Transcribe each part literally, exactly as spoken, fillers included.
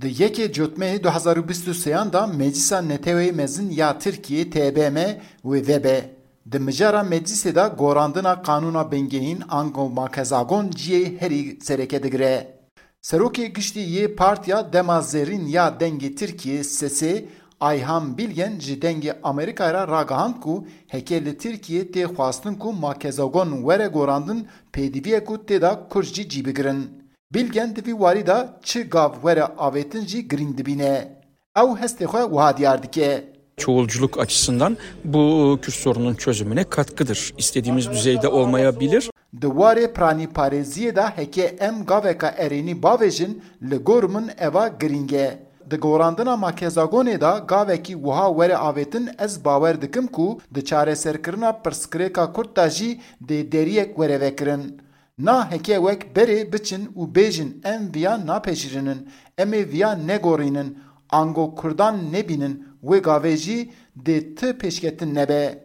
Di yekê Cotmehê du hezar û bîst û sêyan de Meclisa Neteweyê Mezin ya Tirkiyê, T B M, wê vebe. Di mijara meclisê de gorandina qanûna bingehîn ango makezagon cihê herî sereke digire. Serokê Giştî yê Partiya Dema Zêrîn ya Dengê Tirkiyê, Sesê, Ayhan Bilgen ji Dengê Amerîkayê re ragihand ku heke li Tirkiyê tê xwestin ku makezagon were gorandin, pêdivî ye ku tê de Kurd jî cî bigirin. Bilgen di vî warî de çi gav were avêtin jî girîng dibîne. Ew hestê xwe wiha diyar dike. Çoğulculuk açısından bu Kürt sorunun çözümüne katkıdır. İstediğimiz düzeyde olmayabilir. Di warê piranîparêziyê de heke em gaveka erênî bavêjin, li gor min eva girîng e. Di gorandina makezagonê de gavekî wiha were avêtin, ez bawer dikim ku di çareserkirina pirsgirêka Kurd de jî dê deriyek were vekirin. Na heke wek berê biçin û bêjin em viya napejirînin, em ê viya negorînin, ango Kurdan nebînin, wê gavê jî dê ti pêşketin nebe.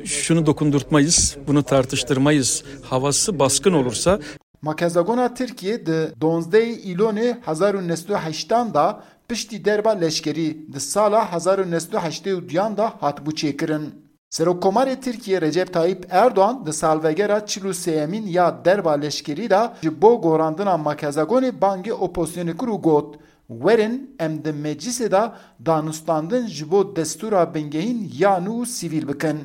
Şunu dokundurtmayız, bunu tartıştırmayız havası baskın olursa. Makezagona Tirkiyê di donzdehê Îlonê hezar û neh sed û heştan de piştî derba leşkerî di sala hezar û neh sed û heştê û duyan de hatibû çêkirin. Serokkomarê Tirkiyê Recep Tayyip Erdoğan di salvegera çil û sêyemîn ya derba leşkerî de ji bo gorandina makezagonê bangê opozisyonê kir û got, werin em di meclisê de danûstandin ji bo destûra bingehîn ya nû û sivîl bikin.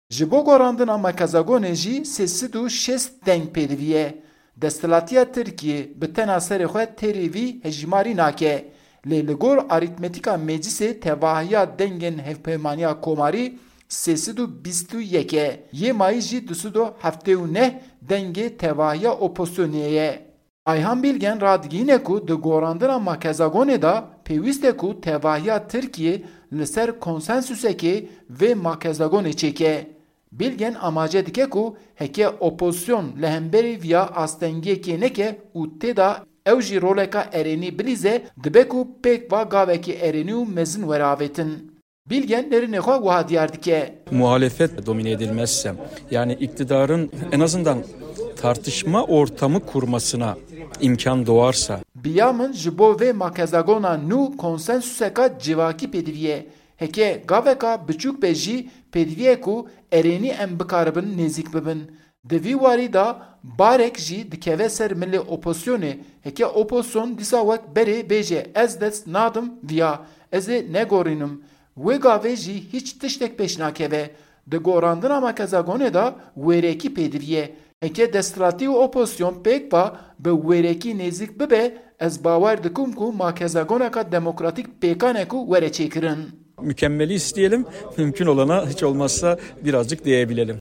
Ji bo gorandina makezagonê jî sê sed û şêst deng pêdivî ye. Desthilatiya Tirkiyê bi tena serê xwe têrê vî hejîmarî nake. Lê li gor arîtmetîka meclisê tevahiya dengên Hevpeymaniya Komarî sê sed û bîst û yek e, yê mayî jî du sed û heftê û neh dengê tevahiya opozisyonê ye. Ayhan Bilgen radigihîne ku di gorandina makezagonê de pêwîst e ku tevahiya Tirkiyê li ser konsensusekê vê makezagonê çêke. Bilgen amaje dike ku heke opozisyon li hemberî viya astengiyekê neke û tê de ew jî roleka erênî bilîze, dibe ku pêk va gavekî erênî û mezin were avêtin. Bilgen nêrînê xwe wiha diyar dike. Muhalefet domine edilmezse, yani iktidarın en azından tartışma ortamı kurmasına imkan doğarsa. Bi ya min ji bo vê makezagona nû konsensuseka civakî pêdivî ye. Heke gaveka biçûk be jî pêdivî ye ku erênî em bikaribin nêzîk bibin. Di vî warî de barek jî dikeve ser milê opozisyonê. Heke opozisyon dîsa wek berê bêje ez dest nadim viya, ez ê negorînim, wê gavê jî hîç tiştek pêş nakeve. Di gorandina makezagonê de wêrekî pêdivî ye. Heke desthilatî û opozisyon pêk va bi wêrekî nêzîk bibe, ez bawer dikim ku makezagoneka demokratîk pêkan e ku were çêkirin. Mükemmeli isteyelim, mümkün olana hiç olmazsa birazcık değebilelim.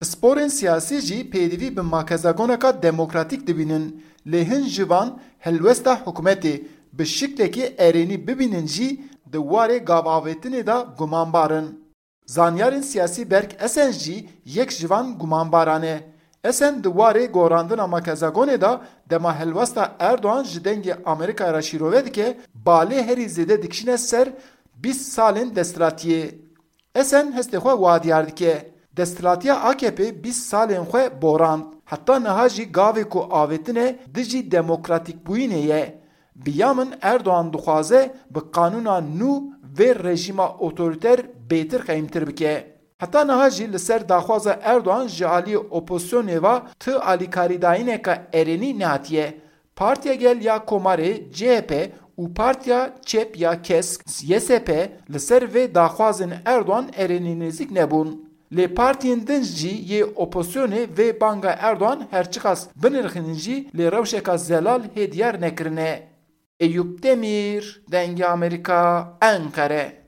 Pisporên siyasî jî pêdivî bi makezagoneka demokratîk dibînin, lê hin ji van helwesta hikûmetê bi şiklekî erênî bibînin jî di warê gavavêtinê de gumanbar in. Zanyarên siyasî Berk Esen jî yek ji van gumanbaran e. Esen di warê gorandina makezagonê de dema helwesta Erdogan ji Dengê Amerîkayê re şîrove dike, balê herî zêde dikişîne ser bîst salên desthilatiyê. Esen hestê xwe wiha diyar dike, desthilatiya A K P bîst salên xwe borand. Heta niha jî gavê ku avêtine dijî demokratîkbûyînê ye. Bi ya min Erdogan dixwaze bi qanûna nû vê rejîma otorîter bêtir qeyimtir bike. Heta niha jî li ser daxwaza Erdogan ji aliyê opozisyonê ve ti alîkarîdayîneka erênî nehatiye. Partiya Gel ya Komarê, C H P, û Partiya Çep ya Kesk, Y S P, li ser vê daxwazên Erdogan erênî nêzîk nebûn. Lê partiyên din jî yê opozisyonê vê banga Erdogan her çiqas binirxînin jî lê rewşeka zelal hê diyar nekirine. Eyûp Demîr, Dengê Amerîka, Enqere.